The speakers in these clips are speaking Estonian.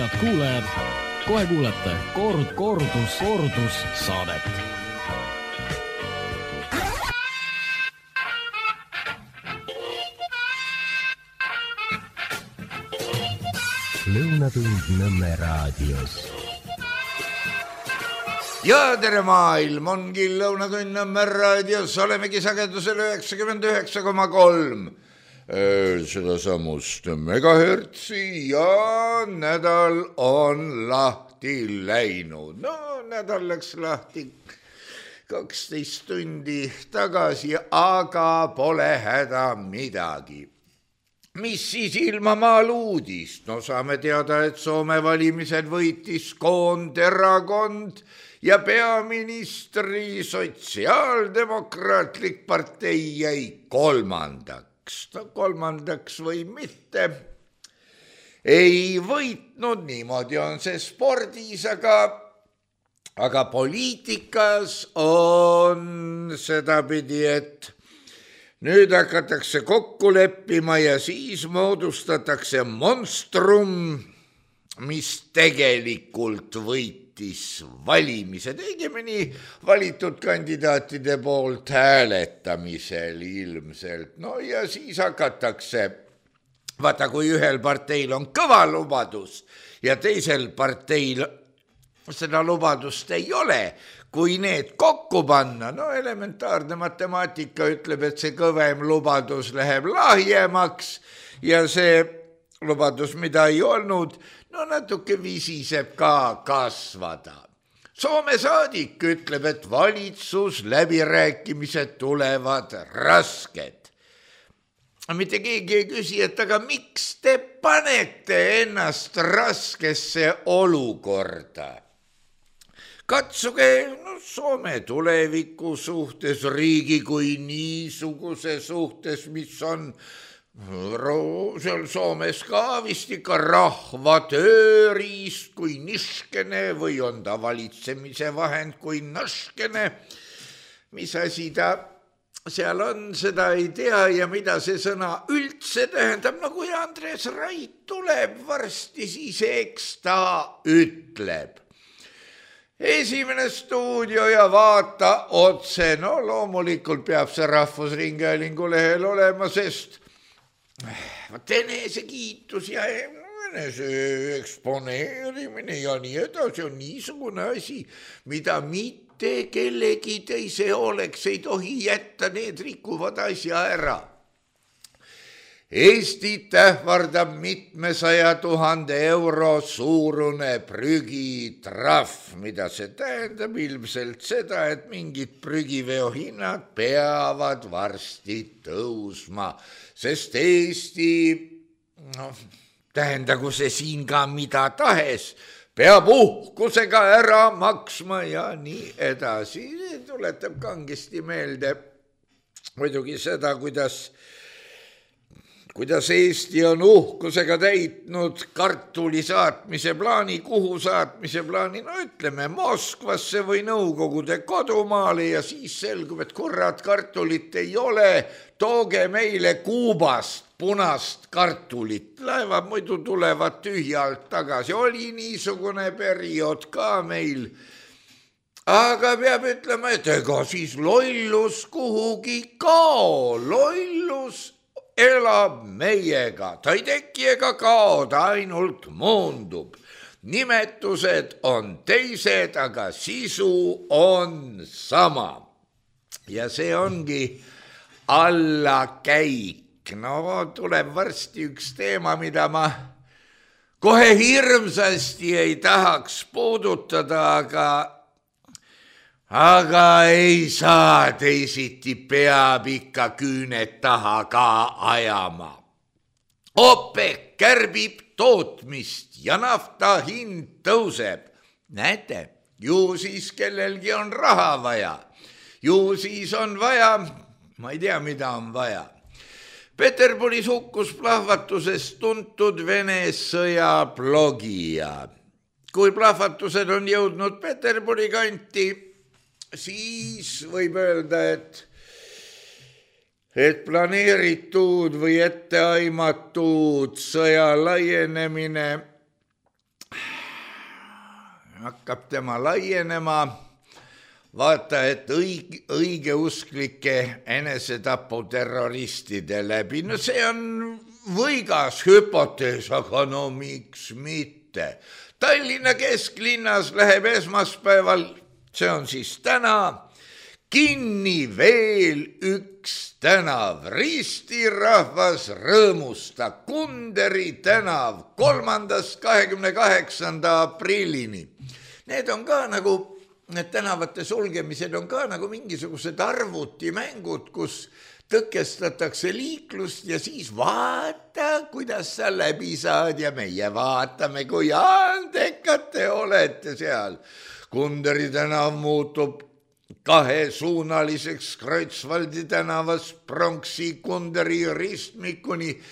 Head kuulajad, kohe kuulete kordus saadet. Lõunatund Nõmme raadios. Ja tere maailm, ongi Lõunatund Nõmme raadios, olemegi sagedusel 99,3 seda samust megahertsi ja nädal on lahti läinud. No nädal läks lahti 12 tundi tagasi, aga pole häda midagi. Mis siis ilmamaal uudist? No saame teada, et Soome valimised võitis Koonderakond ja peaministri sotsiaaldemokraatlik partei jäi kolmandaks. No kolmandaks või mitte. Ei võitnud, niimoodi on see spordis, aga poliitikas on sedapidi, et nüüd hakatakse kokku leppima ja siis moodustatakse monstrum, mis tegelikult võitis valimised, õigemini valitud kandidaatide poolt hääletamisel ilmselt. No ja siis hakatakse, vaata kui ühel parteil on kõva lubadus ja teisel parteil seda lubadust ei ole, kui need kokku panna, no elementaarne matemaatika ütleb, et see kõvem lubadus läheb lahjemaks ja see lubadus, mida ei olnud, no natuke visiseb ka kasvada. Soome saadik ütleb, et valitsus läbirääkimised tulevad rasked. Mitte keegi ei küsi, et aga miks te panete ennast raskesse olukorda? Katsuge Soome tuleviku suhtes, riigi kui niisuguse suhtes, mis on seal Soomes ka vist ikka rahva tööriist kui niškene või on ta valitsemise vahend kui naškene. Mis asi ta seal on, seda ei tea ja mida see sõna üldse tähendab. No kui Andres Rait tuleb varsti, siis eks ta ütleb. Esimene stuudio ja vaata otse, no loomulikult peab see Rahvusringhäälingu lehel olema, sest enesekiitus ja enese eksponeerimine ja nii edasi on niisugune asi, mida mitte kellegi teise oleks, ei tohi jätta, need rikuvad asja ära. Eestit ähvardab mitmesaja 000 euro suurune prügitrahv, mida see tähendab ilmselt seda, et mingid prügiveohinnad peavad varsti tõusma, sest Eesti, tähendagu see siin ka mida tahes, peab uhkusega ära maksma ja nii edasi. Tuletab kangesti meelde muidugi seda, kuidas Eesti on uhkusega täitnud kartuli saatmise plaani, kuhu saatmise plaani, no ütleme Moskvasse või Nõukogude kodumaale ja siis selgub, et kurat, kartulit ei ole, tooge meile Kuubast punast kartulit, laevad muidu tulevad tühjalt tagasi, oli niisugune periood ka meil, aga peab ütlema, et ega siis lollus kuhugi kao, lollus elab meiega, ta ei teki ega kao, ta ainult muundub. Nimetused on teised, aga sisu on sama. Ja see ongi allakäik. No tuleb varsti üks teema, mida ma kohe hirmsasti ei tahaks puudutada, aga ei saa teisiti, peab ikka küüned taha ka ajama. OPEC kärbib tootmist ja nafta hind tõuseb. Näete, ju siis kellelgi on raha vaja. Ju siis on vaja, ma ei tea, mida on vaja. Peterburis hukkus plahvatusest tuntud Vene sõjablogija. Kui plahvatused on jõudnud Peterburi kanti, siis võib öelda, et planeeritud või etteaimatud sõja laienemine hakkab tema laienema. Vaata, et õigeusklike enesetaputerroristide läbi. No see on võigas hüpotees, aga no miks mitte. Tallinna kesklinnas läheb esmaspäeval, see on siis täna, kinni veel üks tänav. Ristirahvas rõõmusta. Kunderi tänav 3.–28. aprillini. Need on ka nagu, need tänavate sulgemised on ka nagu mingisugused arvutimängud, kus tõkestatakse liiklust ja siis vaata, kuidas sa läbi saad ja meie vaatame, kui andekad te olete seal. Kunderi tänav muutub kahesuunaliseks Kreutzwaldi tänavas Pronksi Kunderi ristmikuni.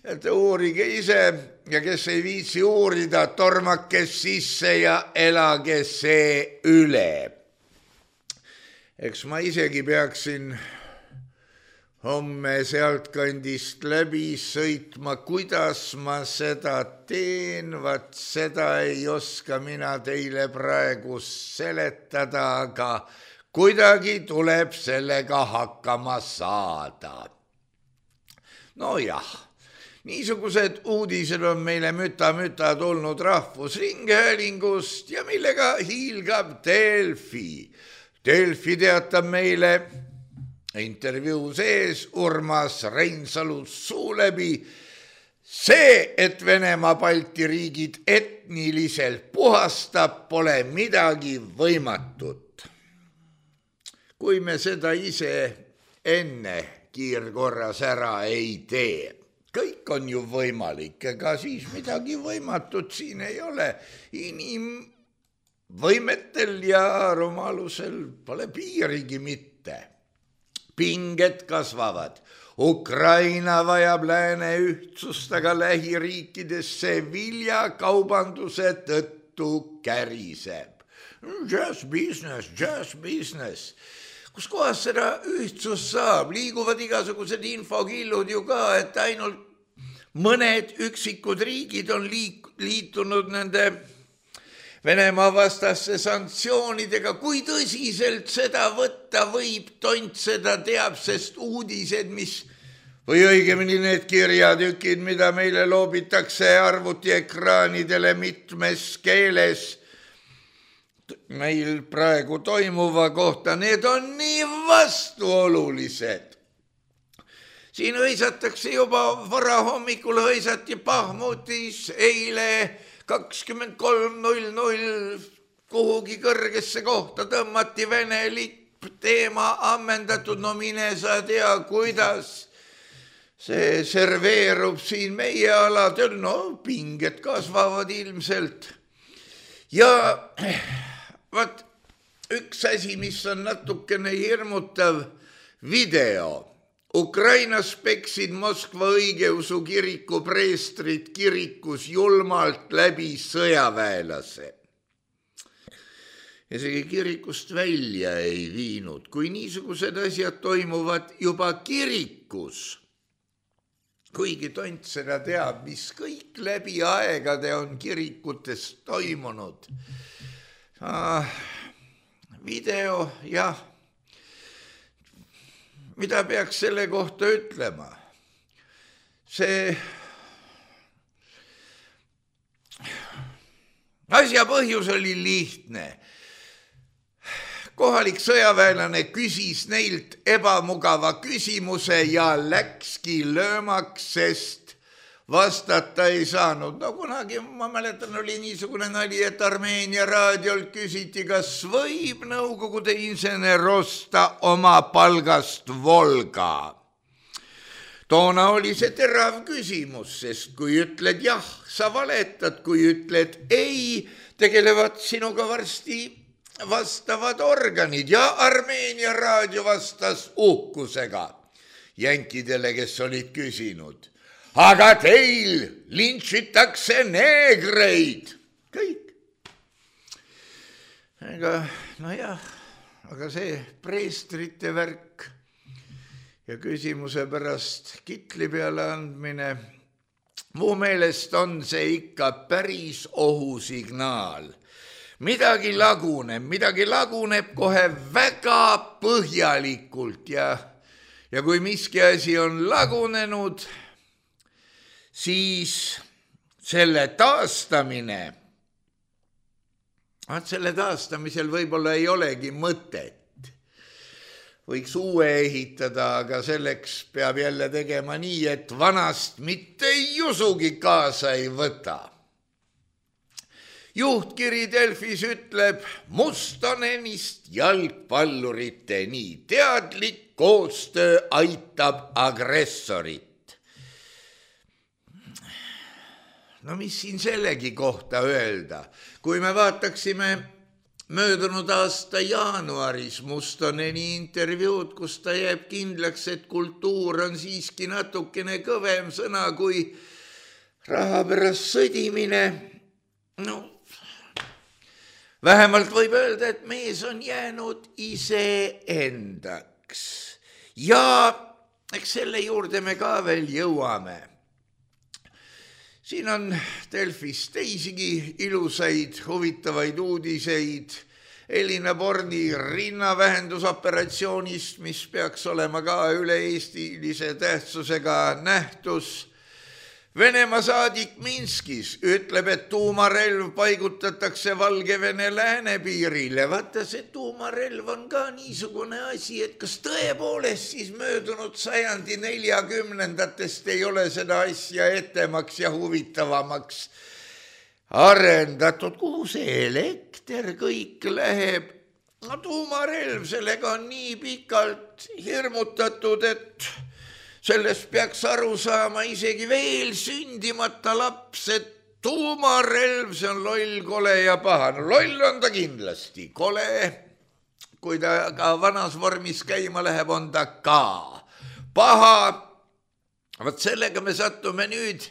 Et uurige ise ja kes ei viitsi uurida, tormake sisse ja elage see üle. Eks ma isegi peaksin homme sealt kandist läbi sõitma, kuidas ma seda teen, vaat seda ei oska mina teile praegu seletada, aga kuidagi tuleb sellega hakkama saada. No jah, niisugused uudised on meile müta tulnud Rahvusringhäälingust ja millega hiilgab Delfi. Delfi teatab meile intervjuu sees Urmas Reinsalu suu läbi see, et Venemaa Balti riigid etniliselt puhastab, pole midagi võimatut. Kui me seda ise enne kiirkorras ära ei tee, kõik on ju võimalik, ega siis midagi võimatut siin ei ole. Inimvõimetel ja rumalusel pole piirigi mitte. Pinged kasvavad. Ukraina vajab lääne ühtsust, aga lähiriikidesse viljakaubanduse tõttu käriseb. Just business. Kus kohas seda ühtsust saab? Liiguvad igasugused infokillud ju ka, et ainult mõned üksikud riigid on liitunud nende Venemaa vastasse sanktsioonidega. Kui tõsiselt seda võtta võib, tont seda teab, sest uudised, või õigemini need kirjatükid, mida meile loobitakse arvutiekraanidele mitmes keeles, meil praegu toimuva kohta, need on nii vastuolulised. Siin hõisatakse juba varahommikul hõisati Bahmutis eile 23.00 kuhugi kõrgesse kohta tõmmati Vene lipp, teema ammendatud, no mine sa tea, kuidas see serveerub siin meie aladel, no pinged kasvavad ilmselt. Ja vaat üks asi, mis on natukene hirmutav video. Ukrainas peksid Moskva õigeusu kiriku preestrid kirikus julmalt läbi sõjaväelase. Isegi kirikust välja ei viinud, kui niisugused asjad toimuvad juba kirikus. Kuigi tont seda teab, mis kõik läbi aegade on kirikutes toimunud. Video, jah, mida peaks selle kohta ütlema? See asja põhjus oli lihtne. Kohalik sõjaväelane küsis neilt ebamugava küsimuse ja läkski löömaks, sest vastata ei saanud. No kunagi, ma mäletan, oli niisugune nali, et Armeenia raadiolt küsiti, kas võib Nõukogude insener osta oma palgast Volga. Toona oli see terav küsimus, sest kui ütled jah, sa valetad, kui ütled ei, tegelevad sinuga varsti vastavad organid ja Armeenia raadio vastas uhkusega jänkidele, kes olid küsinud. Aga teil lintšitakse neegreid. Kõik. Aga see preestrite värk ja küsimuse pärast kitli peale andmine, mu meelest on see ikka päris ohusignaal. midagi laguneb kohe väga põhjalikult ja kui miski asi on lagunenud, siis selle taastamisel võib-olla ei olegi mõtet. Võiks uue ehitada, aga selleks peab jälle tegema nii, et vanast mitte jusugi kaasa ei võta. Juhtkiri Delfis ütleb, Mustonenist jalgpallurite nii teadlik koostöö aitab agressorit. No mis siin sellegi kohta öelda? Kui me vaataksime möödunud aasta jaanuaris Mustoneni intervjuud, kus ta jääb kindlaks, et kultuur on siiski natukene kõvem sõna kui raha pärast sõdimine, no vähemalt võib öelda, et mees on jäänud iseendaks. Ja eks selle juurde me ka veel jõuame. Siin on Delfis teisigi ilusaid, huvitavaid uudiseid Elina Borni rinnavähendusoperatsioonist, mis peaks olema ka üle-eestilise tähtsusega nähtus. Venemaa saadik Minskis ütleb, et tuumarelv paigutatakse Valgevene läänepiirile. Vaata, see tuumarelv on ka niisugune asi, et kas tõepoolest siis möödunud sajandi 40-ndatest ei ole seda asja etemaks ja huvitavamaks arendatud. Kuhu see elekter kõik läheb? No tuumarelv, sellega on nii pikalt hirmutatud, et sellest peaks aru saama isegi veel sündimata laps, et tuumarelv, see on loll, kole ja paha. No loll on ta kindlasti, kole, kui ta ka vanas vormis käima läheb, on ta ka paha. Vaat sellega me sattume nüüd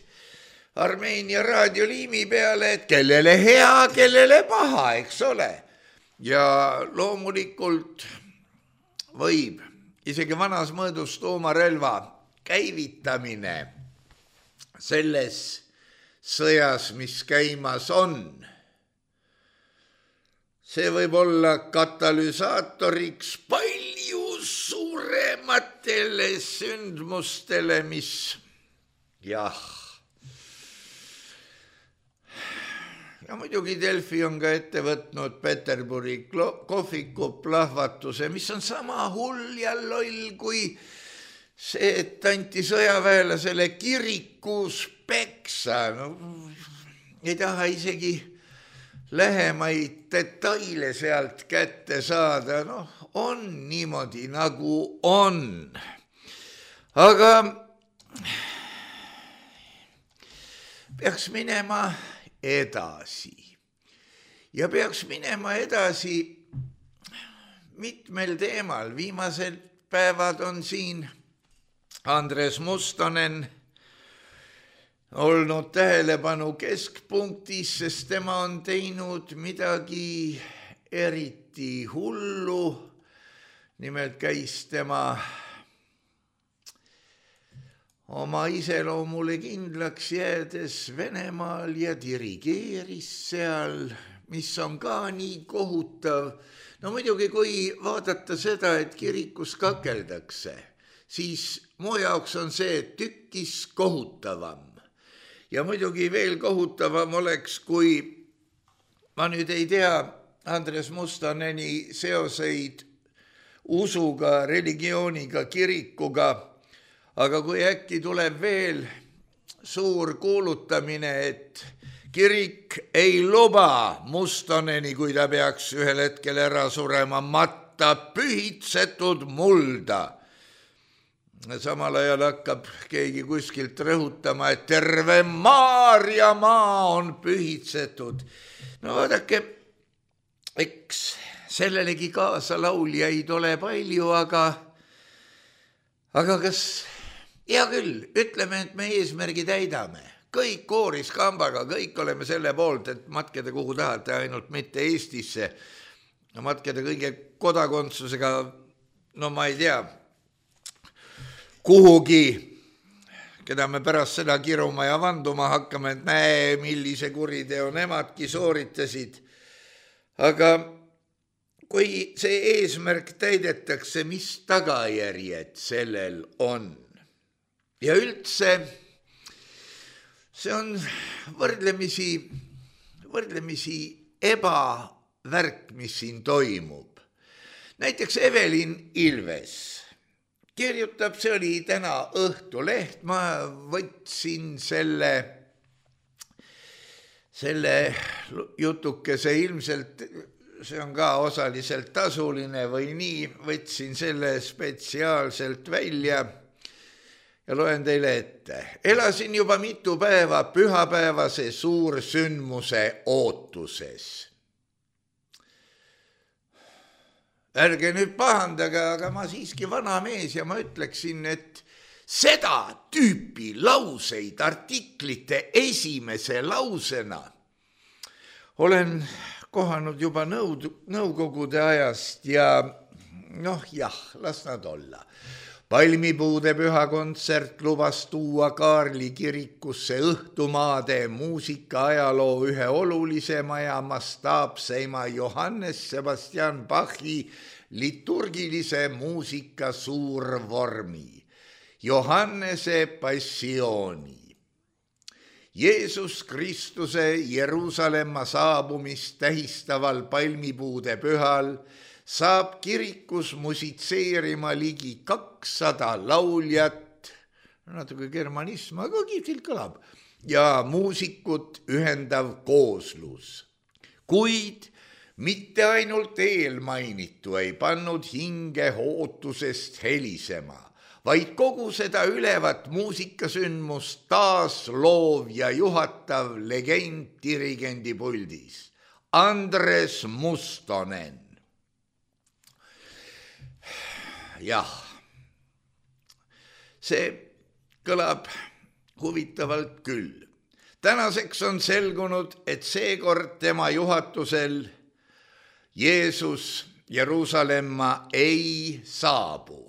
Armeenia raadioliimi peale, et kellele hea, kellele paha, eks ole. Ja loomulikult võib isegi vanas mõõdus tuumarelva käivitamine selles sõjas, mis käimas on. See võib olla katalüsaatoriks palju suurematele sündmustele, mis jah. Ja muidugi Delfi on ka ette võtnud Peterburi kohviku plahvatuse, mis on sama hull ja loll kui see, et anti sõjaväelasele kirikus peksa. No, ei taha isegi lähemaid detaile sealt kätte saada. No, on niimoodi, nagu on. Aga peaks minema edasi. Ja peaks minema edasi mitmel teemal. Viimased päevad on siin Andres Mustonen olnud tähelepanu keskpunktis, sest tema on teinud midagi eriti hullu. Nimelt käis tema oma iseloomule kindlaks jäädes Venemaal ja dirigeeris seal, mis on ka nii kohutav. No muidugi, kui vaadata seda, et kirikus kakeldakse, siis mu jaoks on see tükkis kohutavam. Ja muidugi veel kohutavam oleks, kui ma nüüd ei tea Andres Mustoneni seoseid usuga, religiooniga, kirikuga, aga kui äkki tuleb veel suur kuulutamine, et kirik ei luba Mustoneni, kui ta peaks ühel hetkel ära surema, matta pühitsetud mulda. Samal ajal hakkab keegi kuskilt rõhutama, et terve Maarjamaa on pühitsetud. No vaadake, eks sellelegi kaasa lauljaid ole palju, aga kas, hea küll, ütleme, et me eesmärgi täidame. Kõik kooris kambaga, kõik oleme selle poolt, et matkeda kuhu tahate, ainult mitte Eestisse. No matkeda kõige kodakondsusega, no ma ei tea, kuhugi, keda me pärast seda kiruma ja vanduma hakkame, et näe, millise kuriteo nemadki sooritasid. Aga kui see eesmärk täidetakse, mis tagajärjed sellel on? Ja üldse see on võrdlemisi ebavärk, mis siin toimub. Näiteks Evelin Ilves kirjutab, see oli täna Õhtuleht, ma võtsin selle jutukese ilmselt, see on ka osaliselt tasuline või nii, võtsin selle spetsiaalselt välja ja loen teile ette. Elasin juba mitu päeva pühapäevase suursündmuse ootuses. Ärge nüüd pahandage, aga ma siiski vana mees ja ma ütleksin, et seda tüüpi lauseid artiklite esimese lausena olen kohanud juba nõukogude ajast ja las nad olla. Palmipuude pühakontsert lubas tuua Kaarli kirikusse õhtumaade muusika ajaloo ühe olulisema ja mastaapseima Johannes Sebastian Bachi liturgilise muusika suurvormi, Johannese passiooni. Jeesus Kristuse Jeruusalemma saabumist tähistaval palmipuude pühal saab kirikus musitseerima ligi 200 lauljat, natuke germanism, aga kihvtilt kõlab, ja muusikut ühendav kooslus. Kuid mitte ainult eelmainitu ei pannud hinge ootusest helisema, vaid kogu seda ülevat muusikasündmust taas loov ja juhatav legend dirigendi puldis, Andres Mustonen. Jah, see kõlab huvitavalt küll. Tänaseks on selgunud, et seekord tema juhatusel Jeesus Jeruusalemma ei saabu.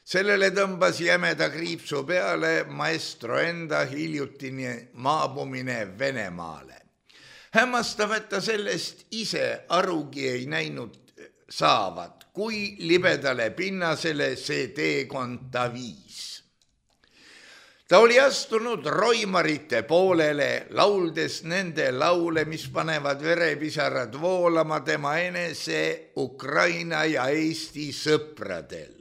Sellele tõmbas jämeda kriipsu peale maestro enda hiljutine maabumine Venemaale. Hämmastav, et ta sellest ise arugi ei näinud saavat, kui libedale pinnasele see teekond ta viis. Ta oli astunud roimarite poolele, lauldes nende laule, mis panevad verepisarad voolama tema enese, Ukraina ja Eesti sõpradel.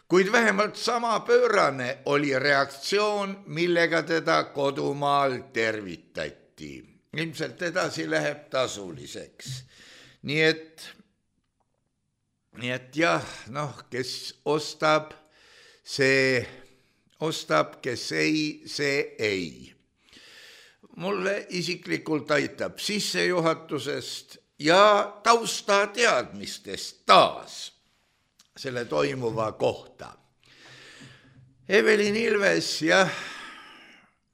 Kuid vähemalt sama pöörane oli reaktsioon, millega teda kodumaal tervitati. Ilmselt edasi läheb tasuliseks. Nii et jah, kes ostab, see ostab, kes ei, see ei. Mulle isiklikult aitab sissejuhatusest ja taustateadmistest taas selle toimuva kohta. Evelin Ilves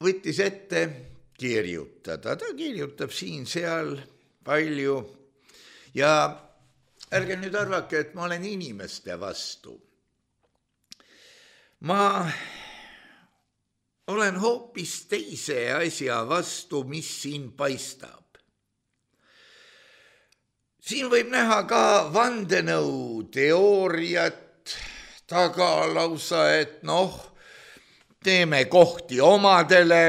võttis ette kirjutada. Ta kirjutab siin-seal palju ja ärge nüüd arvake, et ma olen inimeste vastu. Ma olen hoopis teise asja vastu, mis siin paistab. Siin võib näha ka vandenõu teooriat taga lausa, et teeme kohti omadele,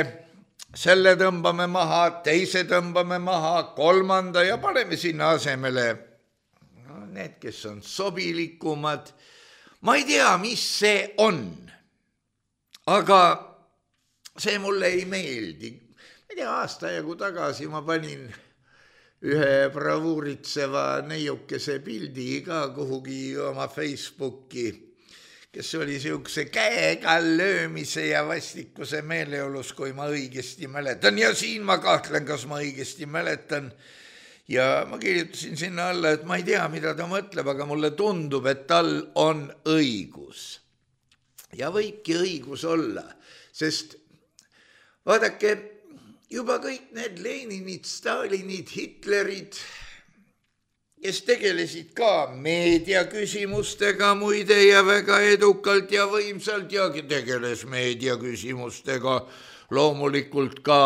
selle tõmbame maha, teise tõmbame maha, kolmanda ja paneme sinna asemele need, kes on sobilikumad. Ma ei tea, mis see on, aga see mulle ei meeldi. Ma ei tea, aasta jagu tagasi ma panin ühe bravuuritseva neiukese pildi ka kuhugi oma Facebooki, kes oli siukse käega löömise ja vastikuse meeleolus, kui ma õigesti mäletan. Ja siin ma kahtlen, kas ma õigesti mäletan. Ja ma kirjutasin sinna alla, et ma ei tea, mida ta mõtleb, aga mulle tundub, et tal on õigus. Ja võibki õigus olla, sest vaadake, juba kõik need Leninid, Stalinid, Hitlerid, kes tegelesid ka meediaküsimustega muide ja väga edukalt ja võimsalt ja tegeles meediaküsimustega loomulikult ka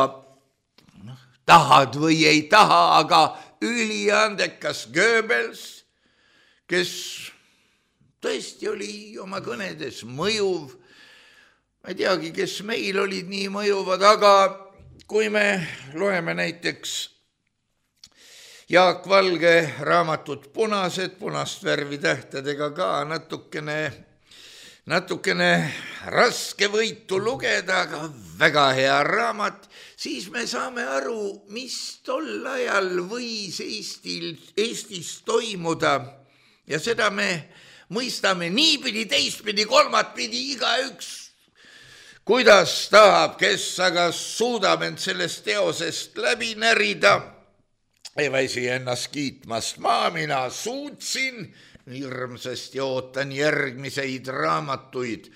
tahad või ei taha, aga üliandekas Goebbels, kes tõesti oli oma kõnedes mõjuv. Ma ei teagi, kes meil olid nii mõjuvad, aga kui me loeme näiteks Jaak Valge raamatut Punased, punast värvi tähtedega ka natukene raske võitu lugeda, aga väga hea raamat, siis me saame aru, mis tol ajal võis Eestis toimuda ja seda me mõistame niipidi, teistpidi, kolmatpidi, igaüks, kuidas tahab, kes aga suudab end sellest teosest läbi närida. Ei väsi ennast kiitmast, mina suutsin, hirmsasti ootan järgmiseid raamatuid.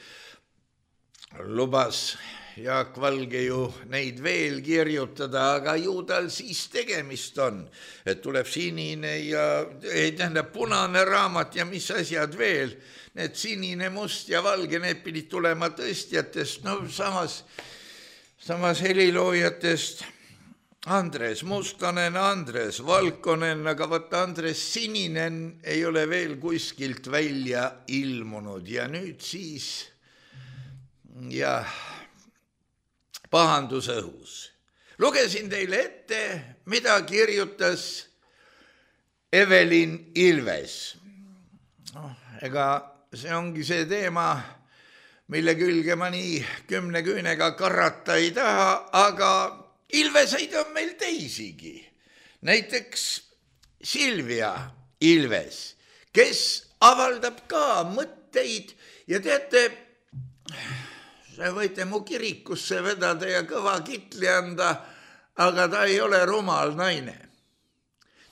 Lubas Jaak Valge ju neid veel kirjutada, aga ju tal siis tegemist on, et tuleb sinine ja punane raamat ja mis asjad veel. Need sinine, must ja valge, need pidid tulema tõstjatest, no samas heliloojatest Andres Mustonen, Andres Valkonen, aga võtta Andres Sininen ei ole veel kuskilt välja ilmunud ja nüüd siis pahandus õhus. Lugesin teile ette, mida kirjutas Evelin Ilves. Ega see ongi see teema, mille külge ma nii 10 küünega karata ei taha, aga Ilveseid on meil teisigi. Näiteks Silvia Ilves, kes avaldab ka mõtteid ja teate, see võite mu kirikusse vedada ja kõva kitli anda, aga ta ei ole rumal naine.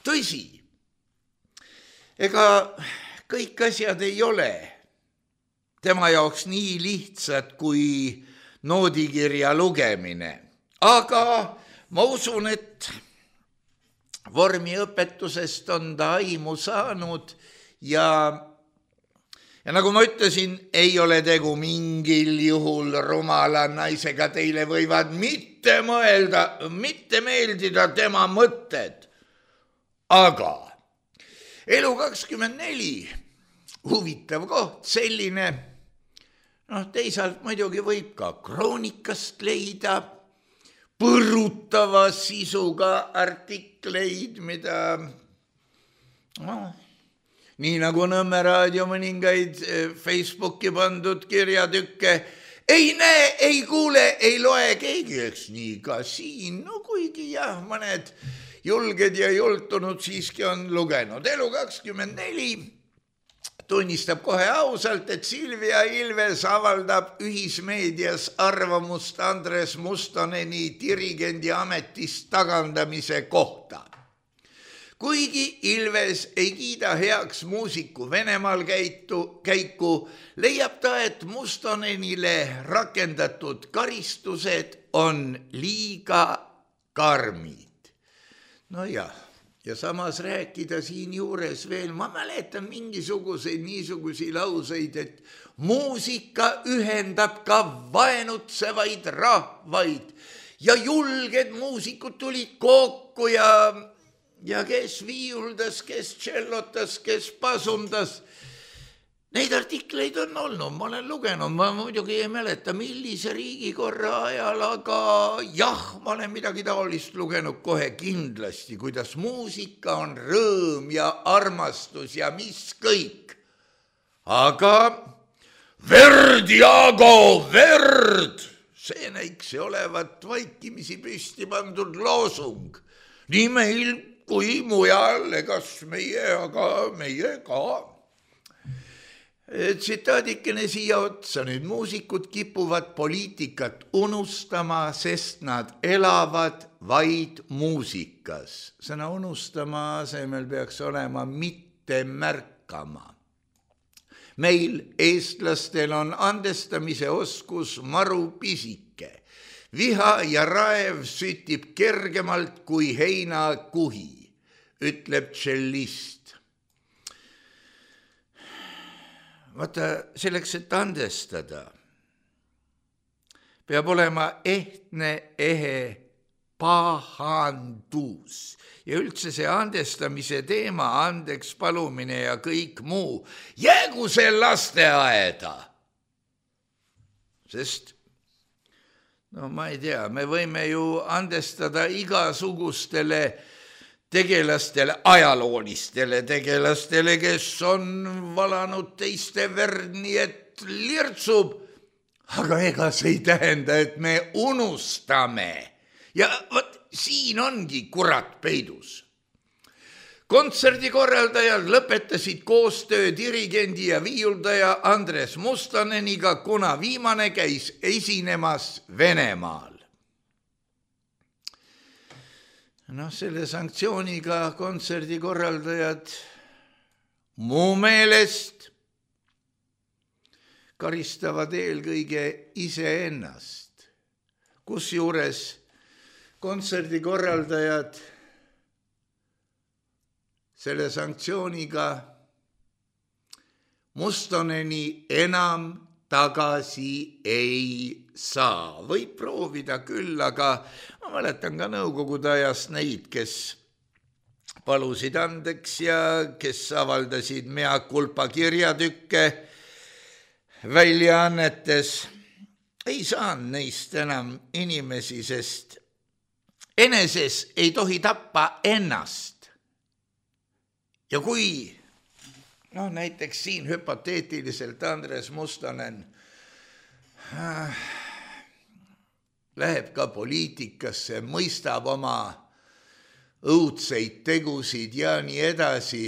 Tõsi, ega kõik asjad ei ole tema jaoks nii lihtsad kui noodikirja lugemine. Aga ma usun, et vormiõpetusest on ta aimu saanud ja nagu ma ütlesin, ei ole tegu mingil juhul rumala naisega, teile võivad mitte meeldida tema mõtted. Aga Elu24, huvitav koht, selline, teisalt muidugi võib ka kroonikast leida põrutava sisuga artikleid, mida nii nagu Nõmme raadio mõningaid Facebooki pandud kirjatükke ei näe, ei kuule, ei loe keegi, eks nii ka siin, kuigi mõned julged ja jultunud siiski on lugenud. Elu24 tunnistab kohe ausalt, et Silvia Ilves avaldab ühismeedias arvamust Andres Mustoneni dirigendi ametist tagandamise kohta. Kuigi Ilves ei kiida heaks muusiku Venemaal käiku, leiab ta, et Mustonenile rakendatud karistused on liiga karmid. Ja samas rääkida siin juures veel, ma mäletan niisuguseid lauseid, et muusika ühendab ka vaenutsevaid rahvaid ja julged muusikud tulid kokku ja kes viiuldas, kes tšellotas, kes pasundas. Neid artikleid on olnud, ma olen lugenud, ma muidugi ei mäleta, millise riigikorra ajal, aga ma olen midagi taolist lugenud kohe kindlasti, kuidas muusika on rõõm ja armastus ja mis kõik. Aga verd, Jaago, verd! See näiks olevat vaikimisi püsti pandud loosung. Nii meil kui mujal, egas meie ka. Tsitaadikene siia otsa, nüüd muusikud kipuvad poliitikat unustama, sest nad elavad vaid muusikas. Sõna unustama asemel peaks olema mitte märkama. Meil, eestlastel, on andestamise oskus maru pisike. Viha ja raev sütib kergemalt kui heinakuhi, ütleb tšellist. Vaata, selleks, et andestada, peab olema ehtne, ehe pahandus. Ja üldse see andestamise teema, andeks palumine ja kõik muu, jäägu see lasteaeda. Sest, no ma ei tea, me võime ju andestada igasugustele tegelastele, ajaloolistele tegelastele, kes on valanud teiste verd, nii et lirtsub, aga ega see ei tähenda, et me unustame. Ja võt, siin ongi kurat peidus. Kontserdikorraldajad lõpetasid koostöö dirigendi ja viiuldaja Andres Mustaneniga, kuna viimane käis esinemas Venemaal. Selle sanktsiooniga kontserdikorraldajad mu meelest karistavad eelkõige iseennast, kusjuures kontserdikorraldajad selle sanktsiooniga Mustoneni enam tagasi ei saa. Võib proovida küll, aga ma mäletan ka nõukogude ajast neid, kes palusid andeks ja kes avaldasid mea culpa kirjatükke väljaannetes. Ei saanud neist enam inimesi, sest eneses ei tohi tappa ennast. Ja kui näiteks siin hüpoteetiliselt Andres Mustonen läheb ka poliitikasse, mõistab oma õudseid tegusid ja nii edasi,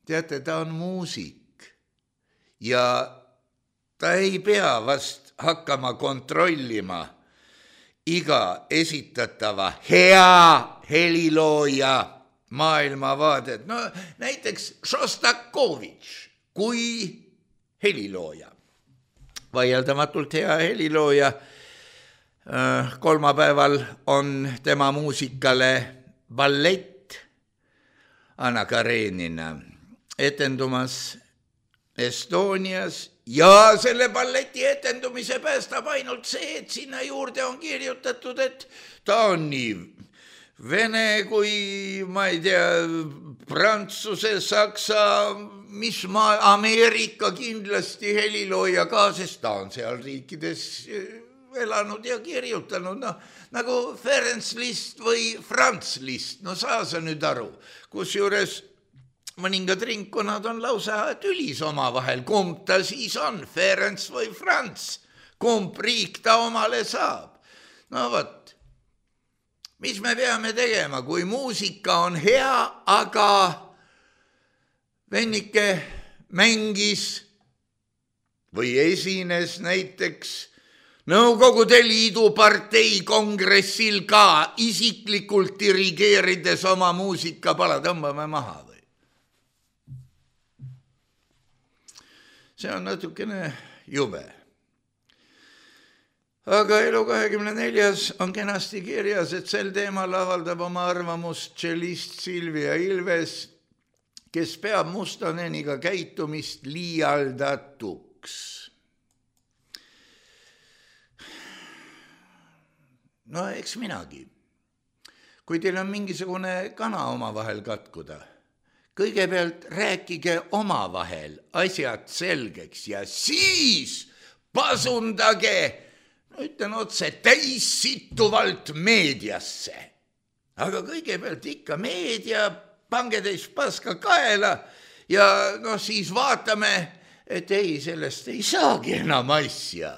teate, ta on muusik ja ta ei pea vast hakkama kontrollima iga esitatava hea helilooja maailmavaadet. Näiteks Šostakovitš kui helilooja. Vaieldamatult hea helilooja. Kolmapäeval on tema muusikale ballett Anna Karenina etendumas Estonias ja selle balleti etendumise päästab ainult see, et sinna juurde on kirjutatud, et ta on nii Vene kui, ma ei tea, Prantsuse, Saksa, mis Ameerika kindlasti helilooja ka, sest ta on seal riikides elanud ja kirjutanud, nagu Ferenc Liszt või Franz Liszt, saa sa nüüd aru, kusjuures mõningad ringkonnad on lausa tülis omavahel, kumb ta siis on, Ferenc või Franz, kumb riik ta omale saab. Vot. Mis me peame tegema, kui muusika on hea, aga vennike mängis või esines näiteks Nõukogude Liidu partei kongressil ka isiklikult dirigeerides oma muusikapala, tõmbame maha või? See on natukene jube. Aga Elu24 on kenasti kirjas, et sel teemal avaldab oma arvamust tšellist Silvia Ilves, kes peab Mustoneniga käitumist liialdatuks. Eks minagi. Kui teil on mingisugune kana omavahel katkuda, kõigepealt rääkige omavahel asjad selgeks ja siis pasundage, ütlen otse, täis sittuvalt meediasse. Aga kõigepealt ikka meedia, pange teist paska kaela ja siis vaatame, et ei, sellest ei saagi enam asja.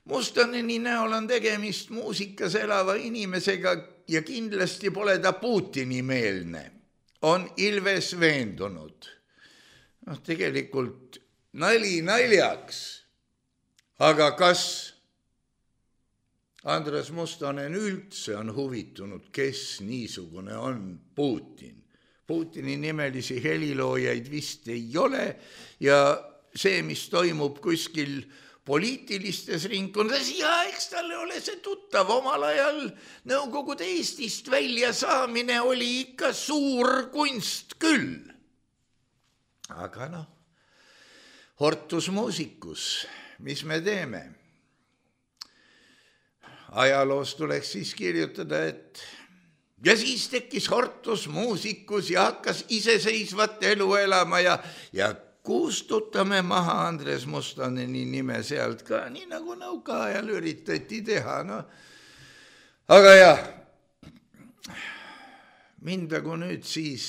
Mustoneni näol on tegemist muusikas elava inimesega ja kindlasti pole ta Putini meelne. On Ilves veendunud. Tegelikult nali naljaks. Aga kas Andres Mustonen üldse on huvitunud, kes niisugune on Putin? Putini nimelisi heliloojaid vist ei ole ja see, mis toimub kuskil poliitilistes ringkondades, ja eks talle ole see tuttav, omal ajal Nõukogude Eestist välja saamine oli ikka suur kunst küll. Aga hortus muusikus, mis me teeme? ajaloos tuleks siis kirjutada, et ja siis tekkis Hortus muusikus ja hakkas iseseisvat elu elama ja kustutame maha Andres Mustoneni nime sealt ka, nii nagu nõukaajal üritati teha. No. Aga jah, mindagu nüüd siis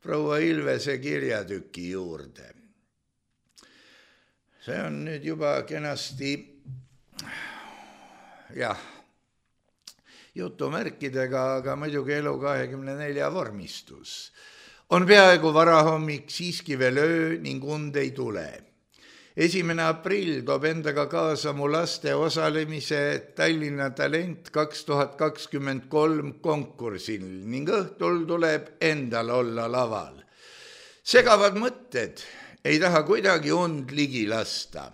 proua Ilvese kirjatüki juurde. See on nüüd juba kenasti, jah, jutumärkidega, aga muidugi elu 24 vormistus. On peaaegu varahommik, siiski veel öö ning und ei tule. 1. aprill toob endaga kaasa mu laste osalemise Tallinna Talent 2023 konkursil ning õhtul tuleb endal olla laval. Segavad mõtted, ei taha kuidagi und ligi lasta.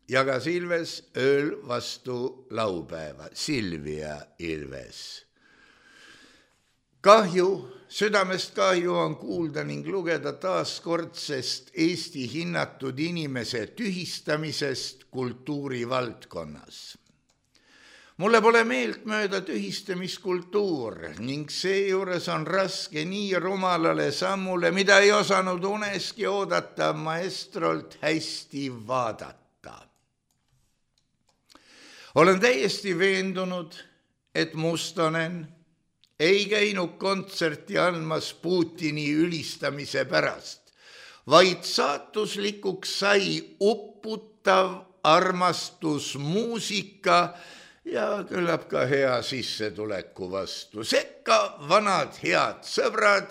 Jagas Ilves ööl vastu laupäeva. Silvia Ilves. Kahju, südamest kahju on kuulda ning lugeda taaskordsest Eesti hinnatud inimese tühistamisest kultuurivaldkonnas. Mulle pole meeltmööda tühistamiskultuur ning seejuures on raske nii rumalale sammule, mida ei osanud uneski oodata maestrolt hästi vaadata. Olen täiesti veendunud, et Mustonen ei käinud kontserti andmas Putini ülistamise pärast, vaid saatuslikuks sai upputav armastusmuusika ja küllap ka hea sissetuleku vastu. Sekka vanad head sõbrad,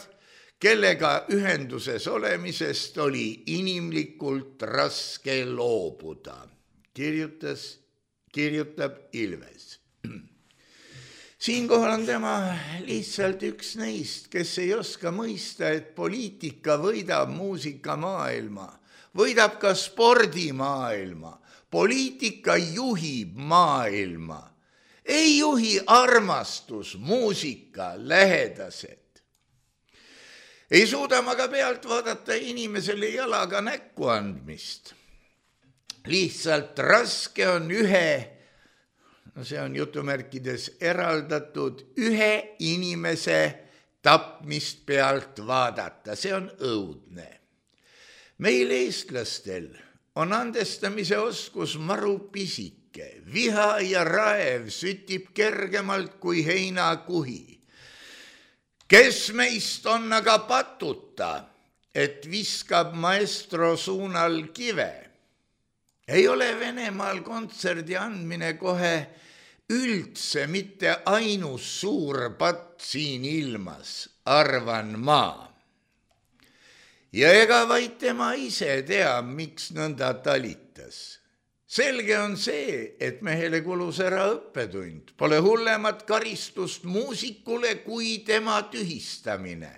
kellega ühenduses olemisest oli inimlikult raske loobuda, kirjutab Ilves. Siinkohal on tema lihtsalt üks neist, kes ei oska mõista, et poliitika võidab muusikamaailma, võidab ka spordimaailma, poliitika juhib maailma, ei juhi armastus, muusika, lähedased. Ei suuda ma ka pealt vaadata inimesele jalaga näkku andmist. Lihtsalt raske on see on jutumärkides eraldatud, ühe inimese tapmist pealt vaadata, see on õudne. Meil eestlastel on andestamise oskus maru pisike, viha ja raev sütib kergemalt kui heinakuhi. Kes meist on aga patuta, et viskab maestro suunal kive? Ei ole Venemaal kontserdi andmine kohe üldse mitte ainus suur patt siin ilmas, arvan ma. Ja ega vaid tema ise tea, miks nõnda talitas. Selge on see, et mehele kulus ära õppetund. Pole hullemat karistust muusikule kui tema tühistamine.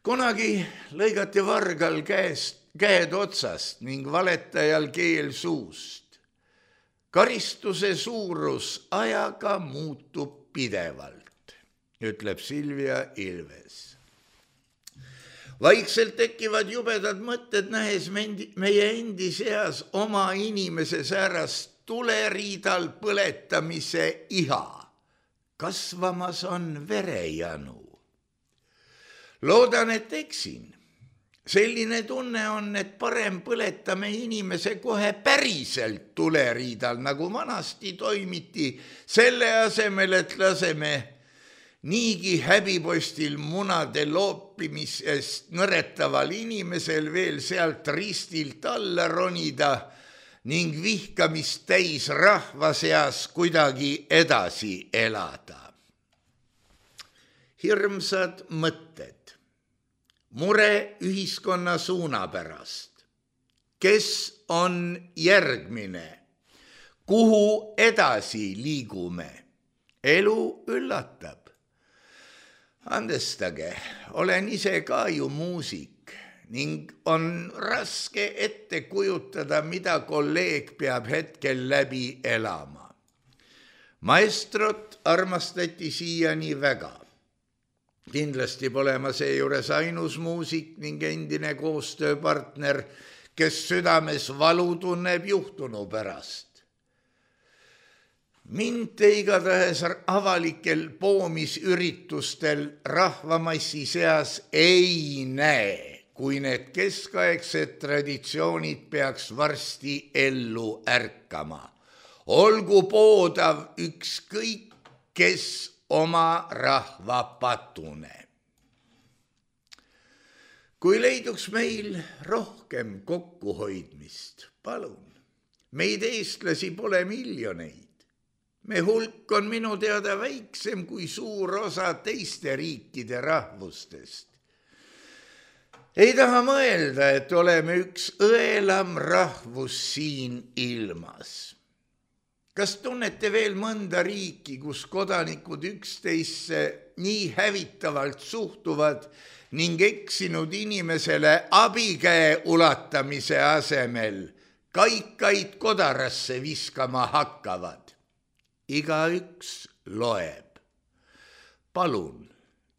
Kunagi lõigati vargal käed otsast ning valetajal keel suust. Karistuse suurus ajaga muutub pidevalt, ütleb Silvia Ilves. Vaikselt tekivad jubedad mõtted, nähes meie endi seas oma inimese säärast tuleriidal põletamise iha. Kasvamas on verejanu. Loodan, et eksin. Selline tunne on, et parem põletame inimese kohe päriselt tuleriidal, nagu vanasti toimiti, selle asemel, et laseme niigi häbipostil munade loopimisest nõretaval inimesel veel sealt ristilt alla ronida ning vihkamist täis rahva seas kuidagi edasi elada. Hirmsad mõtted. Mure ühiskonna suuna pärast. Kes on järgmine? Kuhu edasi liigume? Elu üllatab. Andestage, olen ise ka ju muusik ning on raske ette kujutada, mida kolleeg peab hetkel läbi elama. Maestrot armastati siiani väga. Kindlasti pole ma seejuures ainus muusik ning endine koostööpartner, kes südames valu tunneb juhtunu pärast. Mind igatahes avalikel poomisüritustel rahvamassi seas ei näe, kui need keskaegsed traditsioonid peaks varsti ellu ärkama. Olgu poodav ükskõik, kes oma rahva patune. Kui leiduks meil rohkem kokkuhoidmist, palun. Meid eestlasi pole miljoneid. Me hulk on minu teada väiksem kui suur osa teiste riikide rahvustest. Ei taha mõelda, et oleme üks õelam rahvus siin ilmas. Kas tunnete veel mõnda riiki, kus kodanikud üksteisse nii hävitavalt suhtuvad ning eksinud inimesele abikäe ulatamise asemel kaikaid kodarasse viskama hakkavad? Igaüks loeb. Palun,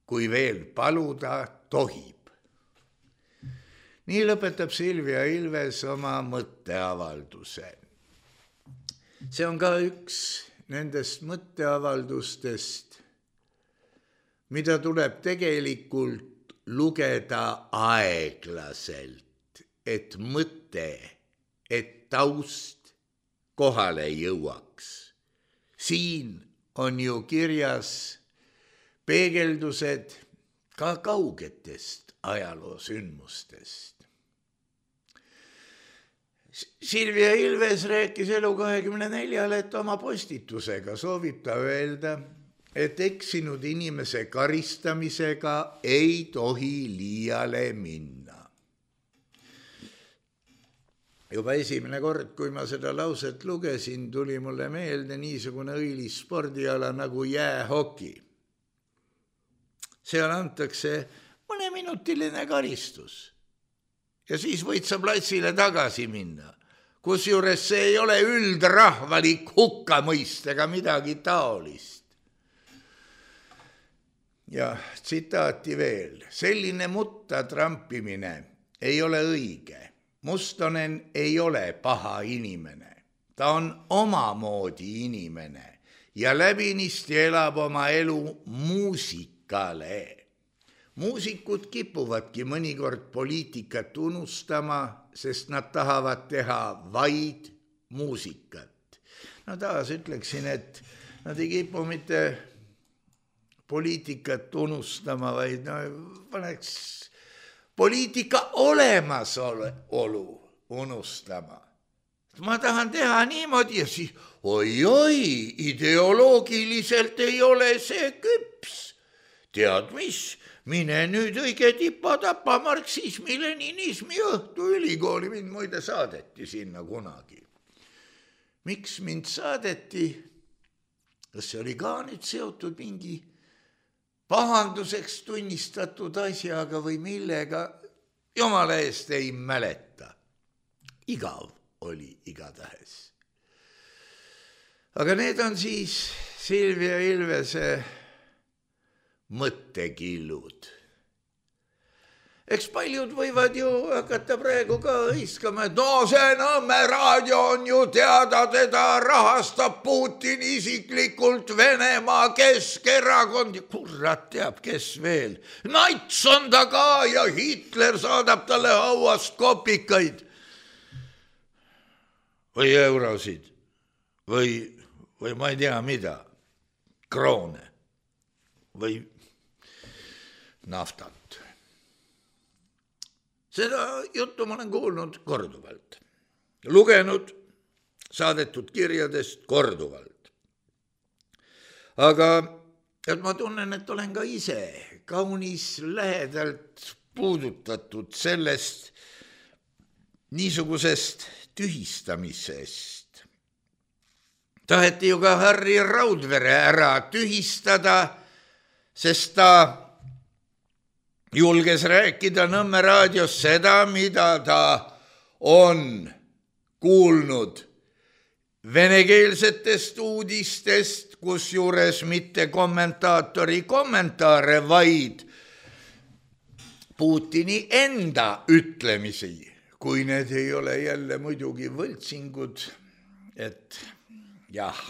kui veel paluda tohib. Nii lõpetab Silvia Ilves oma mõtteavalduse. See on ka üks nendest mõtteavaldustest, mida tuleb tegelikult lugeda aeglaselt, et mõte, et taust kohale jõuaks. Siin on ju kirjas peegeldused ka kaugetest ajaloosündmustest. Silvia Ilves rääkis Elu24, et oma postitusega soovib ta öelda, et eksinud inimese karistamisega ei tohi liiale minna. Juba esimene kord, kui ma seda lauset lugesin, tuli mulle meelde niisugune õilis spordiala nagu jäähoki. Seal antakse mõneminutiline karistus ja siis võid sa platsile tagasi minna, kusjuures see ei ole üldrahvalik hukkamõist ega midagi taolist. Ja tsitaati veel, selline mutta trampimine ei ole õige. Mustonen ei ole paha inimene, ta on omamoodi inimene ja läbinisti elab oma elu muusikale. Muusikud kipuvadki mõnikord poliitikat unustama, sest nad tahavad teha vaid muusikat. No taas ütleksin, et nad ei kipu mitte poliitikat unustama, vaid paneks poliitika olemasolu unustama. Ma tahan teha niimoodi ja siis, oi, ideoloogiliselt ei ole see küps. Tead mis, mine nüüd õige tipa-tapa marksismi, leninismi õhtu ülikooli, mind muide saadeti sinna kunagi. Miks mind saadeti? Kas see oli ka nüüd seotud mingi pahanduseks tunnistatud asjaga või millega, jumala eest ei mäleta. Igav oli igatahes. Aga need on siis Silvia Ilvese mõttekillud. Eks paljud võivad ju hakata praegu ka hõiskama, et no see Nõmme raadio on ju teada, teda rahastab Putin isiklikult, Venemaa Keskerakond ja kurat teab, kes veel. Nats on ta ka ja Hitler saadab talle hauast kopikaid või eurosid või ma ei tea mida, kroone või naftat. Seda juttu ma olen kuulnud korduvalt, lugenud saadetud kirjadest korduvalt. Aga et ma tunnen, et olen ka ise kaunis lähedalt puudutatud sellest niisugusest tühistamisest. Taheti ju ka Harri Raudvere ära tühistada, sest ta julges rääkida Nõmme raadios seda, mida ta on kuulnud venekeelsetest uudistest, kusjuures mitte kommentaatori kommentaare, vaid Putini enda ütlemisi, kui need ei ole jälle muidugi võltsingud, et jah,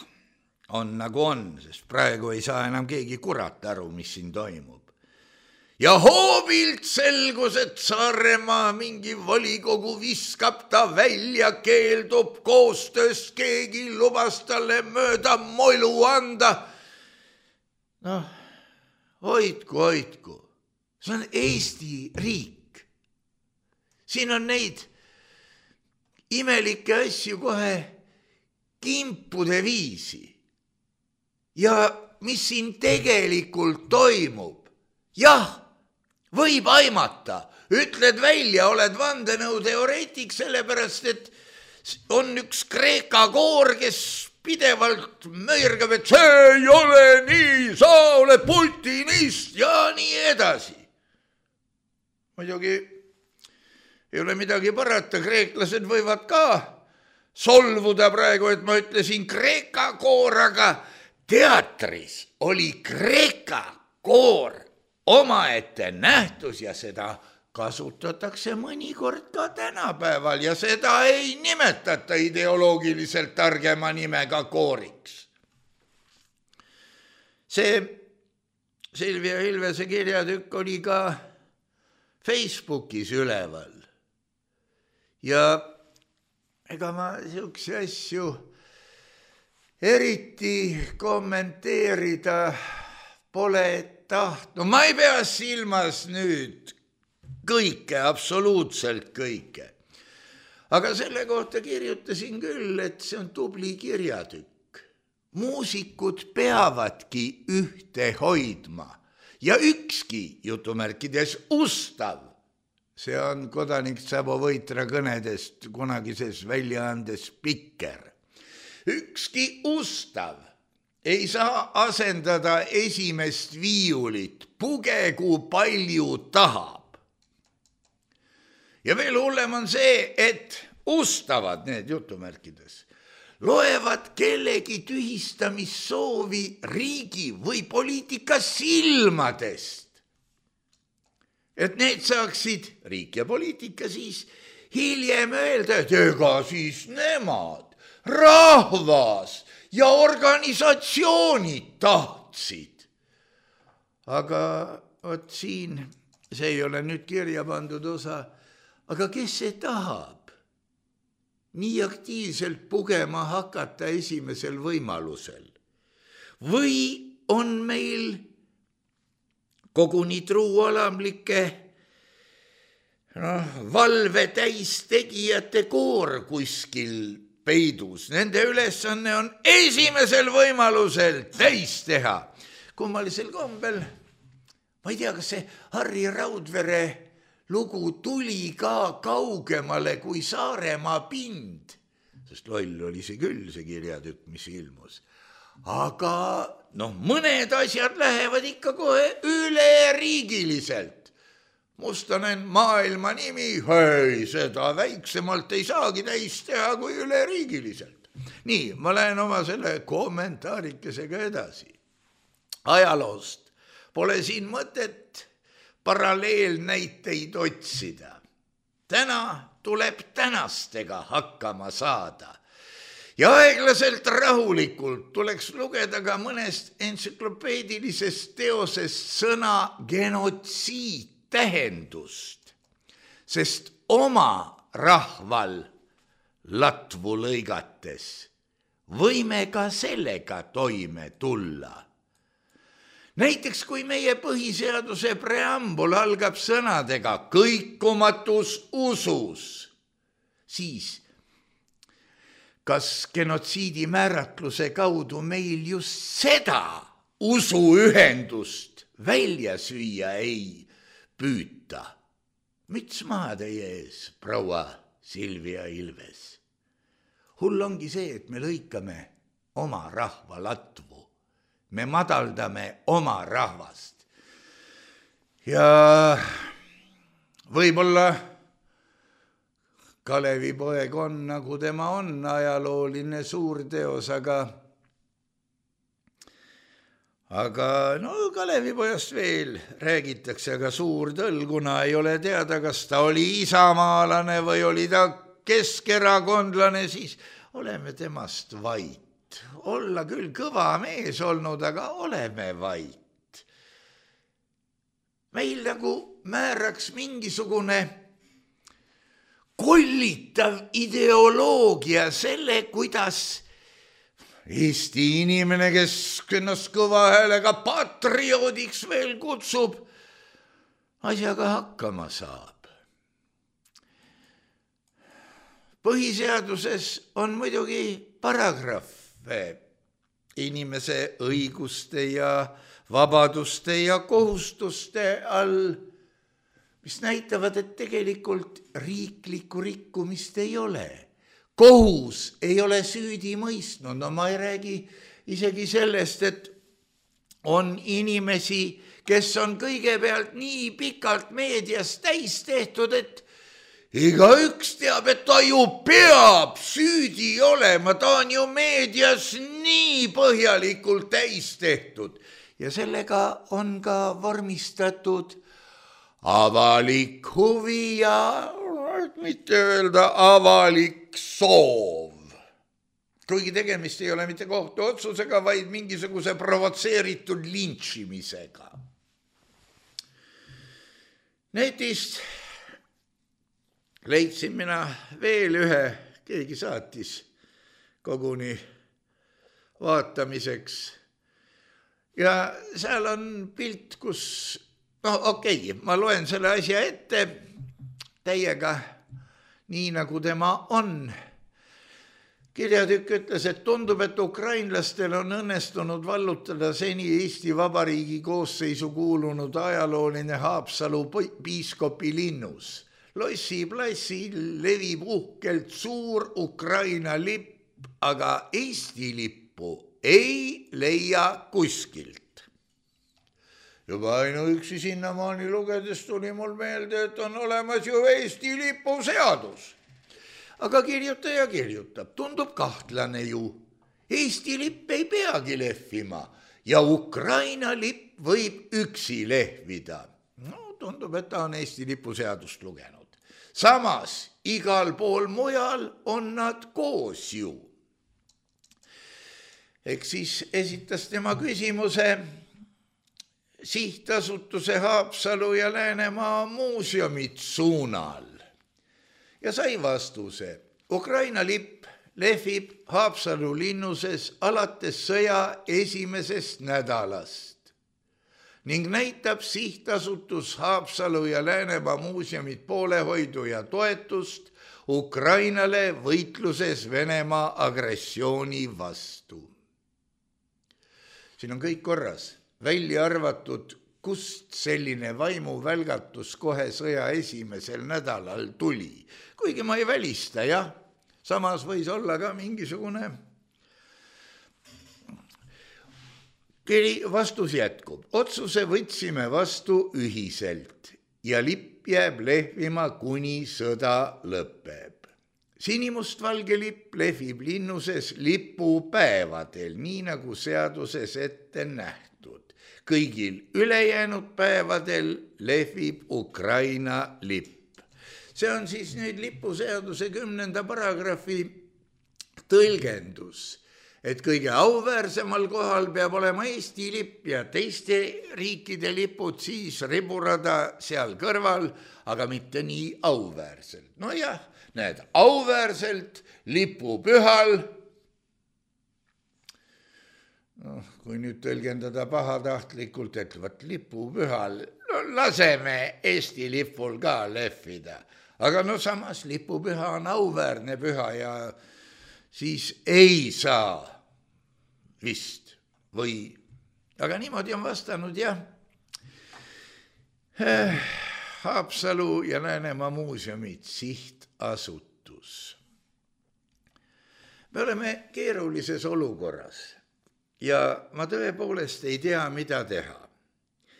on nagu on, sest praegu ei saa enam keegi kurat aru, mis siin toimub. Ja hoobilt selgus, et Saaremaa mingi volikogu viskab ta välja, keeldub koostööst, keegi lubas talle mööda moilu anda. Noh, hoidku. See on Eesti riik. Siin on neid imelikke asju kohe kimpude viisi. Ja mis siin tegelikult toimub? Jah, võib aimata, ütled välja, oled vandenõuteoreetik, sellepärast, et on üks Kreeka koor, kes pidevalt möirgab, et see ei ole nii, sa oled putinist ja nii edasi. Muidugi ei ole midagi parata, kreeklased võivad ka solvuda praegu, et ma ütlesin Kreeka koor, aga teatris oli Kreeka koor omaette nähtus ja seda kasutatakse mõnikord ka tänapäeval ja seda ei nimetata ideoloogiliselt targema nimega kooriks. See Silvia Ilvese kirjatükk oli ka Facebookis üleval ja ega ma siukse asju eriti kommenteerida pole tahtnud. Ma ei pea silmas nüüd kõike, absoluutselt kõike. Aga selle kohta kirjutasin küll, et see on tubli kirjatükk. Muusikud peavadki ühte hoidma ja ükski, jutumärkides, ustav. See on kodanik Sabo Võitra kõnedest kunagises väljaandes Pikker. Ükski ustav ei saa asendada esimest viiulit, pugegu palju tahab. Ja veel hullem on see, et ustavad need jutumärkides, loevad kellegi tühistamissoovi riigi või poliitika silmadest. Et need saaksid, riik ja poliitika siis, hiljem öelda, et ega siis nemad, rahvas ja organisatsioonid tahtsid. Aga vot siin, see ei ole nüüd kirja pandud osa, aga kes see tahab nii aktiivselt pugema hakata esimesel võimalusel? Või on meil koguni truualamlike valve täistegijate koor kuskil peidus. Nende ülesanne on esimesel võimalusel täis teha. Kummalisel kombel, ma ei tea, kas see Harri Raudvere lugu tuli ka kaugemale kui Saaremaa pind, sest loll oli see küll, see kirjatükk, mis ilmus. Aga mõned asjad lähevad ikka kohe üleriigiliselt. Mustonen maailma nimi, hei, seda väiksemalt ei saagi täis teha kui üleriigiliselt. Nii, ma lähen oma selle kommentaarikesega edasi. Ajaloost pole siin mõtet paralleelnäiteid otsida. Täna tuleb tänastega hakkama saada. Ja aeglaselt rahulikult tuleks lugeda ka mõnest entsüklopeedilisest teosest sõna genotsiid tähendust, sest oma rahval latvu lõigates võime ka sellega toime tulla. Näiteks kui meie põhiseaduse preambul algab sõnadega kõikumatus usus, siis kas genotsiidi määratluse kaudu meil just seda usuühendust välja süüa ei püüta? Müts maha teie ees, proua Silvia Ilves. Hull ongi see, et me lõikame oma rahva latvu. Me madaldame oma rahvast. Ja võib-olla Kalevipoeg on, nagu tema on, ajalooline suurteos, aga Kalevipojast veel räägitakse, aga suur tõll, kuna ei ole teada, kas ta oli isamaalane või oli ta keskerakondlane, siis oleme temast vait. olla küll kõva mees olnud, aga oleme vait. Meil nagu määraks mingisugune kollitav ideoloogia selle, kuidas Eesti inimene, kes ennast kõva häälega patrioodiks veel kutsub, asjaga hakkama saab. Põhiseaduses on muidugi paragrahve inimese õiguste ja vabaduste ja kohustuste all, mis näitavad, et tegelikult riiklikku rikkumist ei ole. Kohus ei ole süüdi mõistnud, no ma ei räägi isegi sellest, et on inimesi, kes on kõigepealt nii pikalt meedias täis tehtud, et igaüks teab, et ta ju peab süüdi olema, ta on ju meedias nii põhjalikult täis tehtud ja sellega on ka vormistatud avalik huvi ja mitte öelda avalik soov. Kuigi tegemist ei ole mitte kohtuotsusega, vaid mingisuguse provotseeritud lintšimisega. Netist leidsin mina veel ühe, keegi saatis koguni vaatamiseks. Ja seal on pilt, kus, ma loen selle asja ette täiega nii, nagu tema on. Kirjatükk ütles, et tundub, et ukrainlastel on õnnestunud vallutada seni Eesti Vabariigi koosseisu kuulunud ajalooline Haapsalu piiskopi linnus. Lossi plassil levib uhkelt suur Ukraina lipp, aga Eesti lippu ei leia kuskilt. Juba ainuüksi sinnamaani lugedes tuli mul meelde, et on olemas ju Eesti lipu seadus. Aga kirjutaja kirjutab, tundub kahtlane ju. Eesti lipp ei peagi lehvima ja Ukraina lipp võib üksi lehvida. No, tundub, et ta on Eesti lipu seadust lugenud. Samas, igal pool mujal on nad koos ju. Eks siis esitas tema küsimuse Sihtasutuse Haapsalu ja Läänemaa muuseumid suunal ja sai vastuse. Ukraina lipp lehvib Haapsalu linnuses alates sõja esimesest nädalast ning näitab Sihtasutus Haapsalu ja Läänemaa muuseumid poolehoidu ja toetust Ukrainale võitluses Venemaa agressiooni vastu. Siin on kõik korras. Välja arvatud, kust selline vaimuvälgatus kohe sõja esimesel nädalal tuli. Kuigi ma ei välista, jah. Samas võis olla ka mingisugune vastus jätkub. Otsuse võtsime vastu ühiselt ja lipp jääb lehvima, kuni sõda lõpeb. Sinimustvalge lipp lehvib linnuses lipupäevadel, nii nagu seaduses ette nähtud. Kõigil ülejäänud päevadel lehvib Ukraina lipp. See on siis nüüd lipuseaduse 10. paragrahvi tõlgendus, et kõige auväärsemal kohal peab olema Eesti lipp ja teiste riikide lipud siis riburada seal kõrval, aga mitte nii auväärselt. No jah, näed, auväärselt lipupühal. Kui nüüd tõlgendada pahatahtlikult, et võt lipupühal, laseme Eesti lipul ka lehvida. Aga no samas lipupüha on auväärne püha ja siis ei saa vist või. Aga niimoodi on vastanud jah. Haapsalu ja Läänemaa muuseumid, Sihtasutus. Me oleme keerulises olukorras. Ja ma tõepoolest ei tea, mida teha.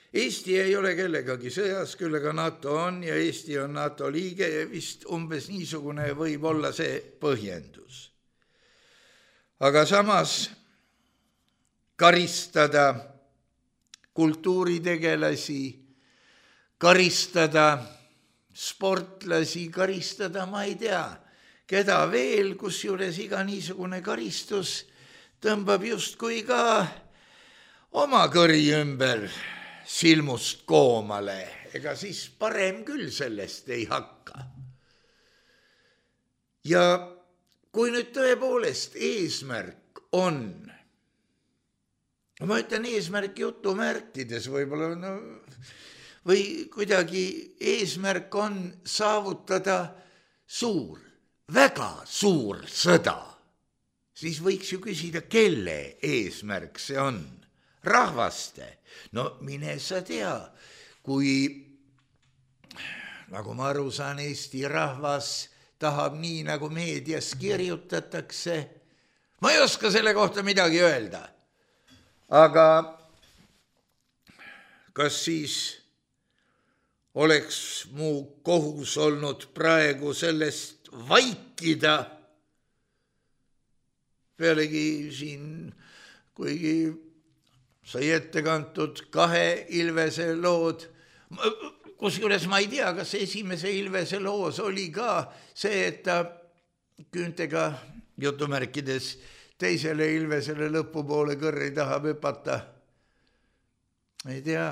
Eesti ei ole kellegagi sõjas, küll aga NATO on ja Eesti on NATO liige ja vist umbes niisugune võib olla see põhjendus. Aga samas karistada kultuuritegelasi, karistada sportlasi, karistada ma ei tea, keda veel, kusjuures iga niisugune karistus tõmbab justkui ka oma kõri ümber silmust koomale, ega siis parem küll sellest ei hakka. Ja kui nüüd tõepoolest eesmärk on, ma ütlen eesmärk jutumärkides võib-olla, või kuidagi eesmärk on saavutada suur, väga suur sõda, siis võiks ju küsida, kelle eesmärk see on? Rahvaste. No mine sa tea, kui, nagu ma aru saan, Eesti rahvas tahab nii, nagu meedias kirjutatakse. Ma ei oska selle kohta midagi öelda. Aga kas siis oleks mu kohus olnud praegu sellest vaikida? Pealegi siin, kuigi sai ette kantud 2 Ilvese lood, kusjuures ma ei tea, kas esimese Ilvese loos oli ka see, et ta küüntega jutumärkides teisele Ilvesele lõpupoole kõrri tahab hüpata. Ei tea,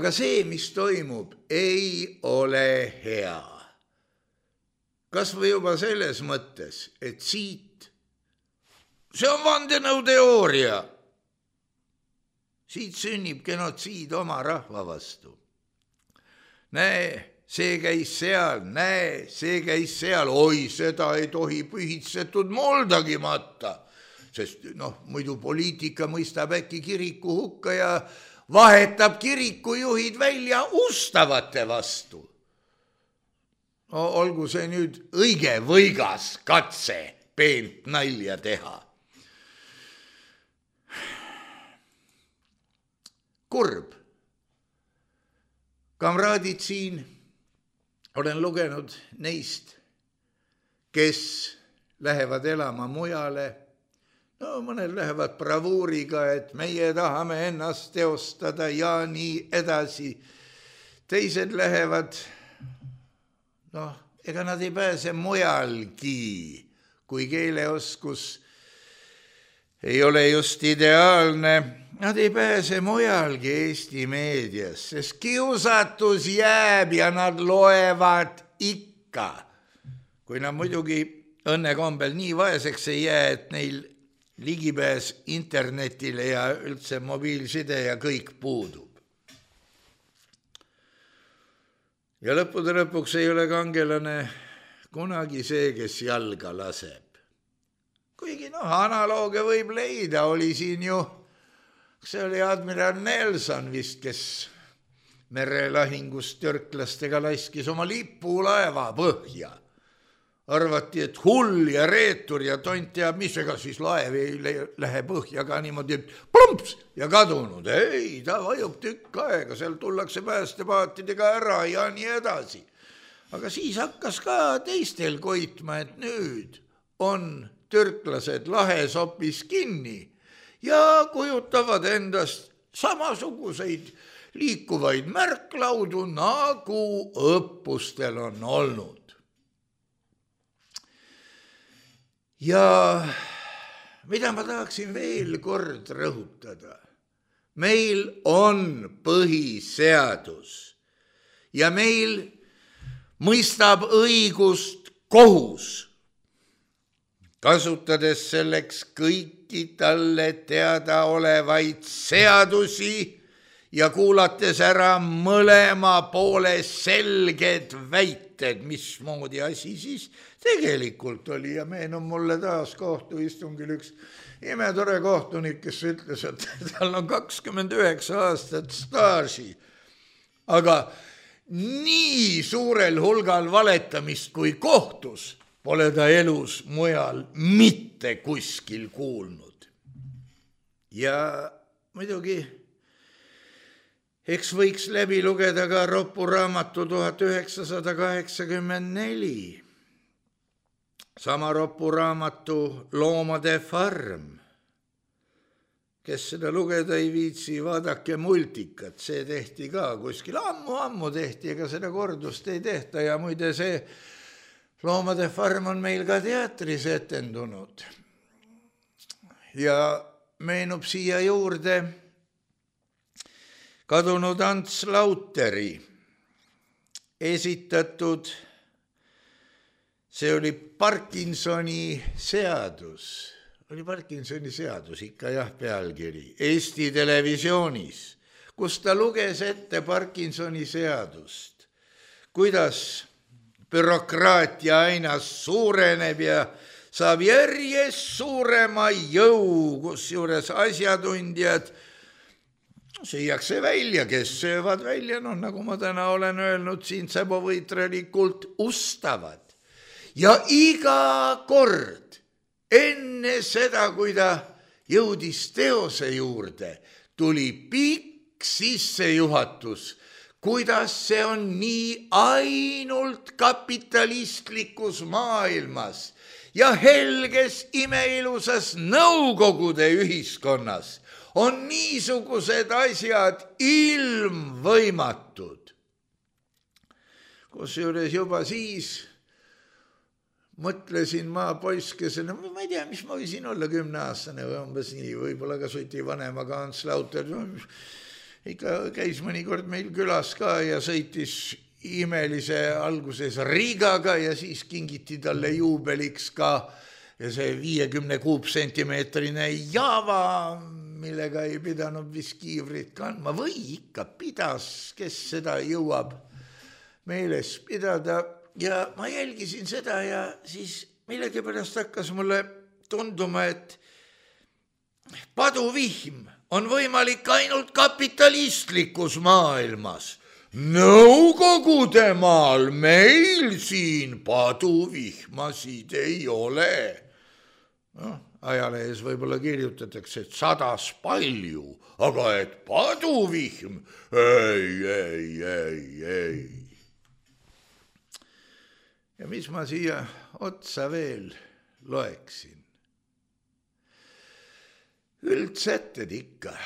aga see, mis toimub, ei ole hea. Kas või juba selles mõttes, et siit, see on vandenõuteooria, siit sünnib genotsiid oma rahva vastu. Näe, see käis seal, oi, seda ei tohi pühitsetud moldagi matta, sest muidu poliitika mõistab äkki kiriku hukka ja vahetab kirikujuhid välja ustavate vastu. No, olgu see nüüd õige võigas katse peent nalja teha. Kurb. Kamraadid siin, olen lugenud neist, kes lähevad elama mujale. No mõned lähevad bravuuriga, et meie tahame ennast teostada ja nii edasi. Teised lähevad, ega nad ei pääse mujalgi, kui keeleoskus ei ole just ideaalne. Nad ei pääse mujalgi Eesti meedias, sest kiusatus jääb ja nad loevad ikka. Kui nad muidugi õnnekombel nii vaeseks ei jää, et neil ligipääs internetile ja üldse mobiilside ja kõik puudub. Ja lõppude lõpuks ei ole kangelane kunagi see, kes jalga laseb. Kuigi analooge võib leida, oli siin ju, see oli admiral Nelson vist, kes merelahingust türklastega laskis oma lipulaeva põhja. Arvati, et hull ja reetur ja tont teab, mis ega siis laev ei lähe põhja ka niimoodi plumps ja kadunud. Ei, ta vajub tükk aega, seal tullakse päästepaatidega ära ja nii edasi. Aga siis hakkas ka teistel koitma, et nüüd on türklased lahes hoopis kinni ja kujutavad endast samasuguseid liikuvaid märklaudu, nagu õppustel on olnud. Ja mida ma tahaksin veel kord rõhutada? Meil on põhiseadus ja meil mõistab õigust kohus, kasutades selleks kõiki talle teadaolevaid seadusi ja kuulates ära mõlema poole selged väited, mismoodi asi siis tegelikult oli. Ja meenub mulle taas kohtuistungil üks imetore kohtunik, kes ütles, et tal on 29 aastat staaži, aga nii suurel hulgal valetamist kui kohtus pole ta elus mujal mitte kuskil kuulnud. Ja muidugi, eks võiks läbi lugeda ka Roppu raamatu 1984. Sama Roppu raamatu Loomade farm. Kes seda lugeda ei viitsi, vaadake multikat, see tehti ka kuskil ammu tehti, ega seda kordust ei tehta ja muide see Loomade farm on meil ka teatris etendunud ja meenub siia juurde kadunud Ants Lauteri esitatud, see oli Parkinsoni seadus, ikka jah, pealkiri, Eesti Televisioonis, kus ta luges ette Parkinsoni seadust, kuidas bürokraatia aina suureneb ja saab järjest suurema jõu, kusjuures asjatundjad süüakse välja, kes söövad välja, nagu ma täna olen öelnud, siin säbovõitralikult ustavad. Ja iga kord enne seda, kui ta jõudis teose juurde, tuli pikk sissejuhatus, kuidas see on nii ainult kapitalistlikus maailmas ja helges imeilusas Nõukogude ühiskonnas on niisugused asjad ilmvõimatud. Kusjuures juba siis mõtlesin ma poiskesena, ma ei tea, mis ma võisin olla 10-aastane või umbes nii, võib-olla ka suti vanemaga Ants Lauter, ikka käis mõnikord meil külas ka ja sõitis imelise alguses Riigaga ja siis kingiti talle juubeliks ka see 50 kuupsentimeetrine Java, millega ei pidanud vist kiivrit kandma või ikka pidas, kes seda jõuab meeles pidada. Ja ma jälgisin seda ja siis millegipärast hakkas mulle tunduma, et paduvihm on võimalik ainult kapitalistlikus maailmas. Nõukogude maal meil siin paduvihmasid ei ole. Ajalehes võib-olla kirjutatakse, et 100 palju, aga et paduvihm, ei. Ja mis ma siia otsa veel loeksin? Üldsätted ikka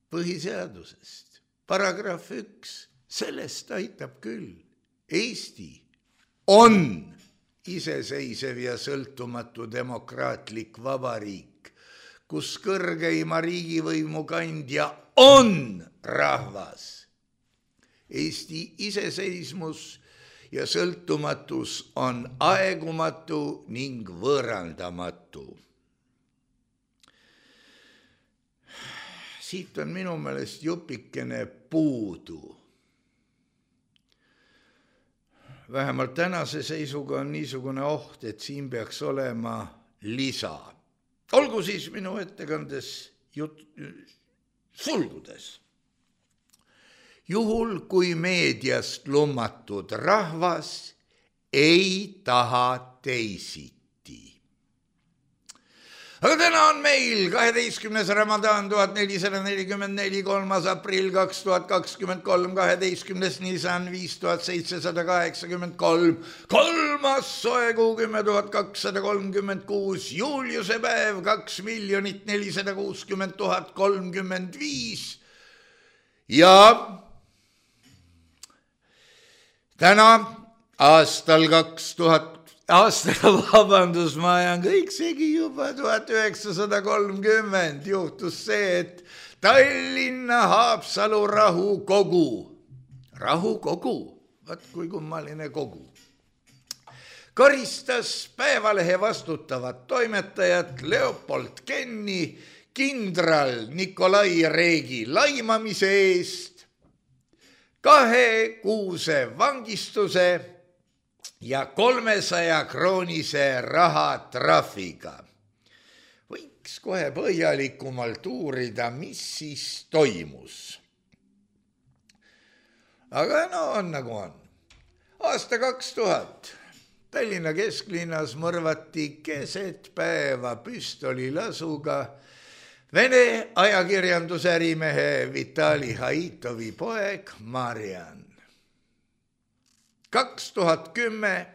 põhiseadusest. Paragrahv 1, sellest aitab küll. Eesti on iseseisev ja sõltumatu demokraatlik vabariik, kus kõrgeima riigivõimu kandja on rahvas. Eesti iseseismus ja sõltumatus on aegumatu ning võõrandamatu. Siit on minu meelest jupikene puudu. Vähemalt tänase seisuga on niisugune oht, et siin peaks olema lisa. Olgu siis minu ettekandes sulgudes. Juhul, kui meediast lummatud rahvas ei taha teisiti. Aga täna on meil 12. Ramadan 1444, 3. aprill 2023, 12. Nisan 5783, 3. soekuu 10 236, Juliuse päev 2 460 035 ja täna aastal 2000, ma ajan kõik segi juba 1930 juhtus see, et Tallinna Haapsalu rahukogu, vaat kui kummaline kogu, karistas Päevalehe vastutavat toimetajat Leopold Kenni kindral Nikolai Reegi laimamise eest 2 kuuse vangistuse ja 300 kroonise rahatrahviga. Võiks kohe põhjalikumalt uurida, mis siis toimus. Aga no on nagu on. Aasta 2000 Tallinna kesklinnas mõrvati keset päeva püstolilasuga Vene ajakirjandusärimehe Vitali Haitovi poeg Marian. 2010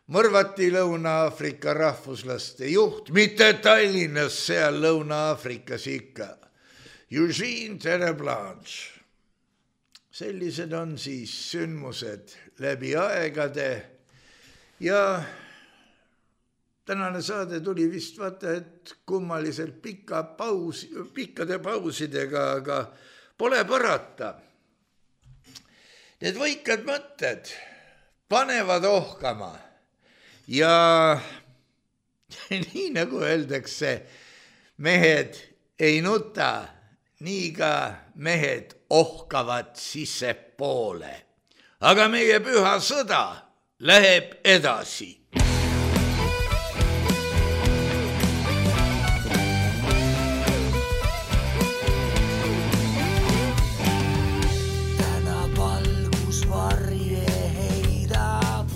mõrvati Lõuna-Aafrika rahvuslaste juht, mitte Tallinnas, seal Lõuna-Aafrikas ikka, Eugene Terreblanche. Sellised on siis sündmused läbi aegade ja tänane saade tuli vist vaata, et kummaliselt pikkade pausidega, aga pole parata. Need võikad mõtted panevad ohkama ja nii nagu öeldakse, mehed ei nuta, nii ka mehed ohkavad sissepoole. Aga meie püha sõda läheb edasi. Täna valgus varje heidab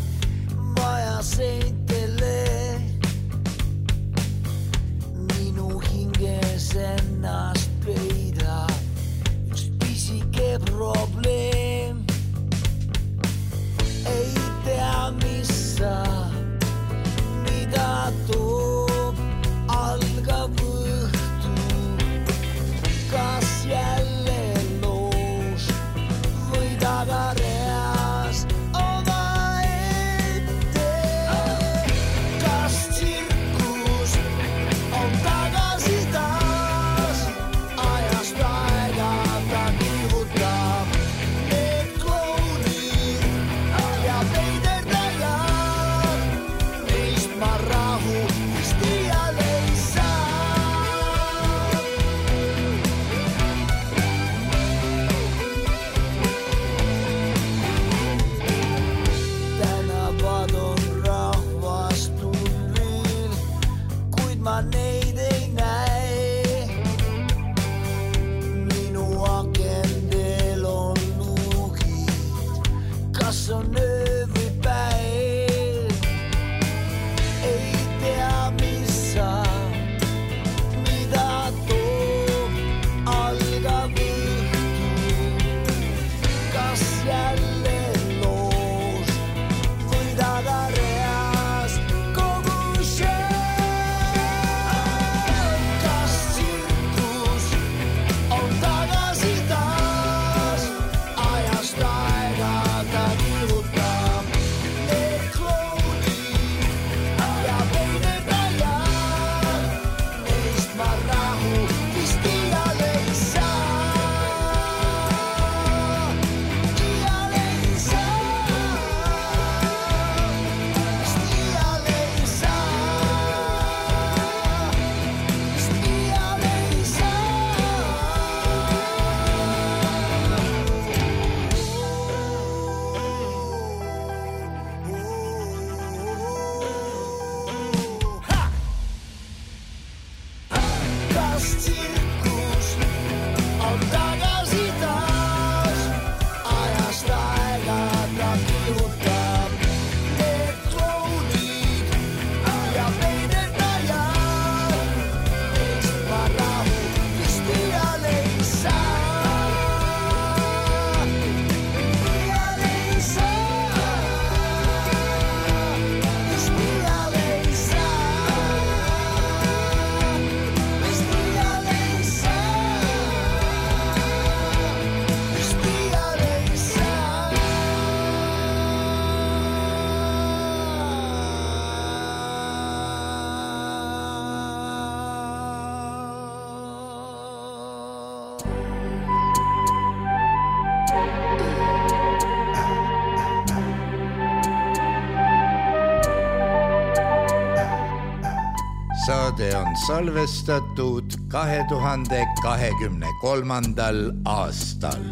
maja seintele. Minu hinges ennast peidab üks pisike probleem. Ei tea, mis saab, mida toob algav õhtu. Kas jälle loos või tagareas oma ette? Kas tsirkus on tagasi taas? Ajast aega ta kihutab need klounid ja peiderdajad. Neist ma rahu vist iial ei saa. Tänavad on rahvast tullil, kuid ma neid ei näe. Minu akendel on luugid, kas on öö või päev. Ei tea, mis saab, mida toob algav õhtu. Kas jälle loos või tagareas kogu show? Kas tsirkus on tagasi taas? Ajast aega ta kihutab need klounid ja peiderdajad. Neist ma rahu vist iial ei saa. Iial ei saa. Vist iial ei saa. Vist iial ei saa. Kas tsirkus on tagasi taas? Ajast aega ta kihutab need klounid ja peiderdajad. Neist ma rahu vist iial ei saa. Iial ei saa. Vist iial ei saa. Vist iial ei saa. Vist iial ei saa. Saade on salvestatud 2023. aastal.